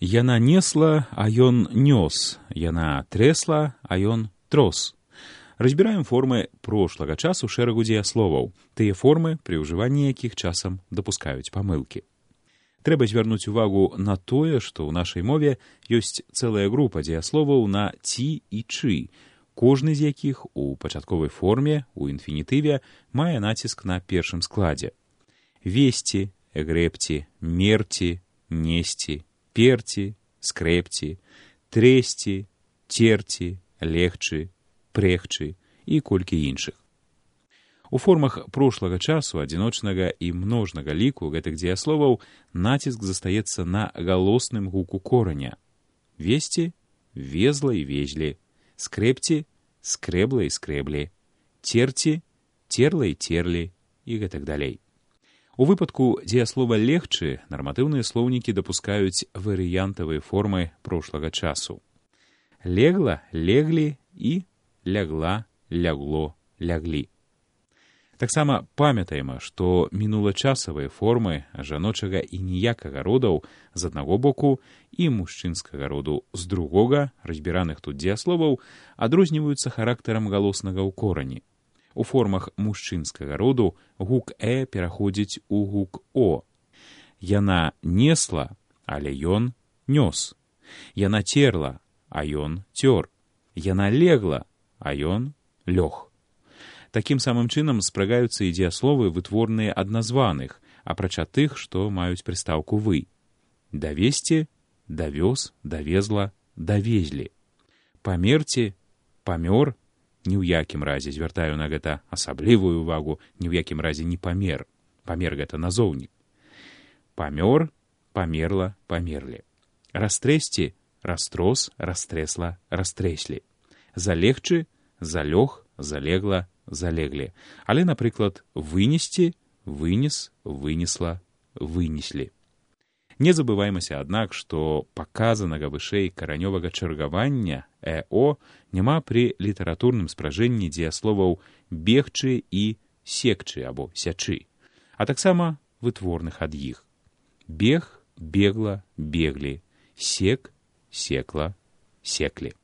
Яна несла, а ён нёс. Яна тресла, а ён трос. Разбіраем формы прошлага часу шэрагу дзеясловаў, тыя формы, пры ўжыванні якіх часам дапускаюць памылкі. Трэба звярнуць увагу на тое, што ў нашай мове ёсць цэлая група дзеясловаў на ці і чы, кожны з якіх у пачатковай форме, у інфінітыве, мае націск на першым складзе. Весці, грэбці, мерці, несці, перці, скрэпці, трэсці, церці, легчы, прэгчы і колькі іншых. У формах прошлага часу, адзіночнага і множнага ліку гэтых дзеясловаў націск застаецца на галосным гуку кораня. Весці — везла і везлі, скрэпці — скрэбла і скрэблі, церці — церла і церлі і гэтак далей. У выпадку дзеяслова легчы нарматыўныя слоўнікі дапускаюць варыянтавыя формы прошлага часу. Легла, леглі і лягла, лягло, ляглі. Таксама памятаем, што мінулачасавыя формы жаночага і ніякага родаў з аднаго боку і мужчынскага роду з другога, разбіраных тут дзеясловаў, адрозніваюцца характарам галоснага ў корані. У формах мужчынскага роду гук «э» пераходзіць у гук «о». Яна несла, але ён нёс. Яна церла, а ён цёр. Яна легла, а ён лёг. Такім самым чынам спрагаюцца і дзеясловы, вытворныя ад названых, апрача тых, што маюць прыстаўку «вы». Давесці, давёз, давезла, давезлі. Памерці, памёр, ні ў якім разе, звяртаю на гэта асаблівую ўвагу, ні ў якім разе не памер. Памер гэта назоўнік. Памёр, памерла, памерлі. Растрэсці, растрос, растрэсла, растрэслі. Залегчы, залёг, залегла, залеглі. Але, напрыклад, вынесці, вынес, вынесла, вынеслі. Не забываймася, аднак, што паказанага вышэй каранёвага чаргавання «э-о» няма пры літаратурным спражэнні дзеясловаў «бегчы» і «секчы» або «сячы», а таксама вытворных ад іх. Бег, бегла, беглі, сек, секла, секлі.